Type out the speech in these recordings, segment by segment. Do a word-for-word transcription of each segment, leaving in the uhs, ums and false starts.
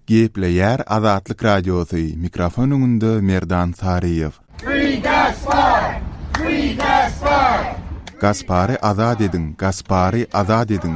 Gepleýär Azatlyk Radiosy, mikrofon öňünde Merdan Saryýew. Free Gaspar! Free Gaspar! Gaspary azat ediň, Gaspary azat ediň!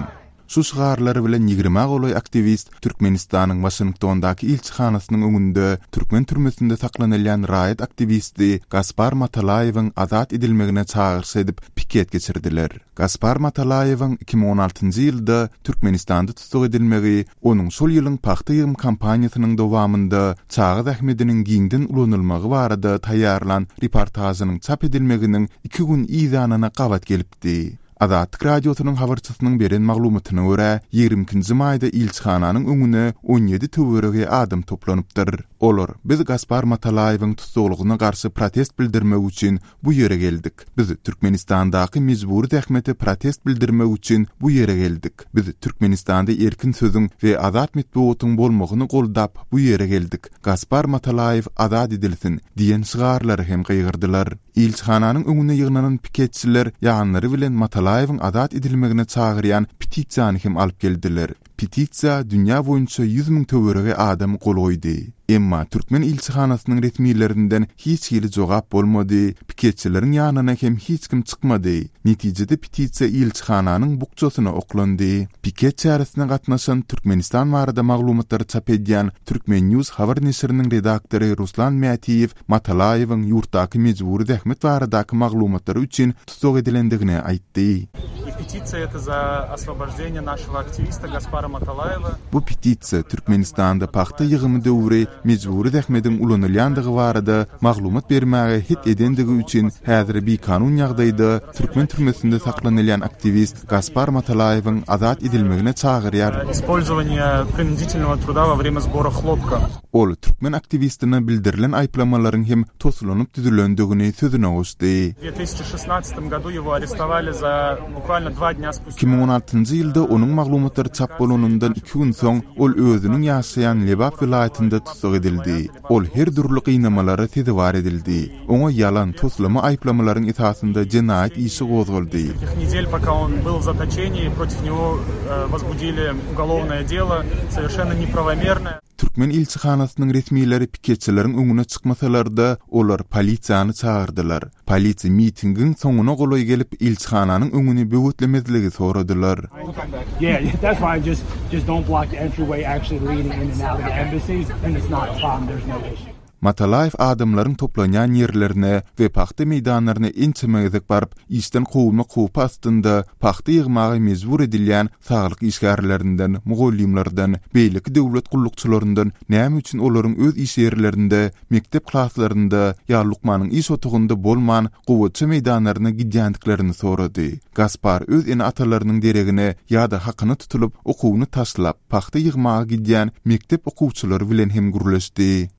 Şu şygarlar bilen ýigrimä golaý aktiwist Türkmenistanyň Waşingtondaky ilçihanasynyň öňünde türkmen türmesinde saklanylýan raýat aktiwisti Gaspar Matalaýewiň azat edilmegine çagyryş edip, piket geçirdiler. Gaspar Matalaýewiň iki müň on altynjy ýylda Türkmenistanda tussag edilmegi onuň şol ýylyň pagta ýygym kampaniýasynyň dowamynda çaga zähmediniň giňden ulanylmagy barada taýýarlan reportažynyň çap edilmeginiň iki gün yzýanyna gabat gelipdi. Azatlyk Radiosynyň habarçysynyň beren maglumatyna görä, ýigrimi ikinji maýda ilçihananyň öňüne on ýedi töweregi adam toplanypdyr. Olar, Biz Gaspar Matalaýewiň tussaglygyna garşy protest bildirmek üçin bu ýere geldik. Biz Türkmenistandaky mejbury zähmete protest bildirmek üçin bu ýere geldik. Biz Türkmenistanda erkin sözüň we azat metbugatyň bolmagyny goldap bu ýere geldik. Gaspar Matalaýew azat edilsin! diýen şygarlary hem gygyrdylar. Ilçihananyň öňüne ýygnanan piketçiler ýanlary bilen Matalaýewiň azat edilmegine çagyrýan petisiýany hem alyp geldiler. Petisiýa dünýä boýunça ýüz müň töweregi adam gol goýdy. Emma türkmen ilçihanasynyň resmilerinden hiç hili jogap bolmady, piketçileriň ýanyna hem hiç kim çykmady. Netijede petisiýa ilçihananyň bukjasyna oklandy. Piket çäresine gatnaşan Türkmenistan barada maglumatlary çap edýän Turkmen News habar neşiriniň redaktory Ruslan Mätiýew Matalaýewiň ýurtdaky mejbury zähmet baradaky maglumatlary üçin tussag edilendigini aýtdy. Bu petisiýa Türkmenistanda pagta ýygymy döwri mejbury zähmediň ulanylýandygy barada maglumat bermäge het edendigi üçin häzir bikanun ýagdaýda türkmen türmesinde saklanylýan aktiwist Gaspar Matalaýewiň azat edilmegine çagyrýar. Ol türkmen aktiwistine bildirilen aýyplamalaryň hem toslanyp düzülendigini sözüne goşdy. Iki müň on altynjy ýylda onuň maglumatlary çap bolanyndan iki gün soň, ol özüniň ýaşaýan Lebap welaýatynda tussag edildi. Ol her dürli gynamalara sezewar edildi. Oňa ýalan, toslama aýyplamalaryň esasynda jenaýat işi gozgaldy. Türkmen ilçihanasynyň resmileri piketçileriň öňüne çykmasalar-da, olar polisiýany çagyrdylar. Polisiýa mitingiň soňuna golaý gelip, ilçihananyň öňüni böwetlemezligi soradylar. Matalaýew adamlaryň toplanýan ýerlerine we pagta meýdanlaryna ençeme gezek baryp, işden kowulmak howpy astynda pagta ýygmaga mejbur edilýän saglyk işgärlerinden, mugallymlardan, beýleki döwlet gullukçylaryndan näme üçin olaryň öz iş ýerlerinde, mekdep klaslarynda ýa lukmanyň iş otagynda bolman, gowaça meýdanlaryna gidýändiklerini sorady. Gaspar öz ene-atalarynyň deregine ýa-da hakyna tutulyp, okuwyny taşlap, pagta ýygmaga gidýän mekdep okuwçylary bilen hem gürleşdi.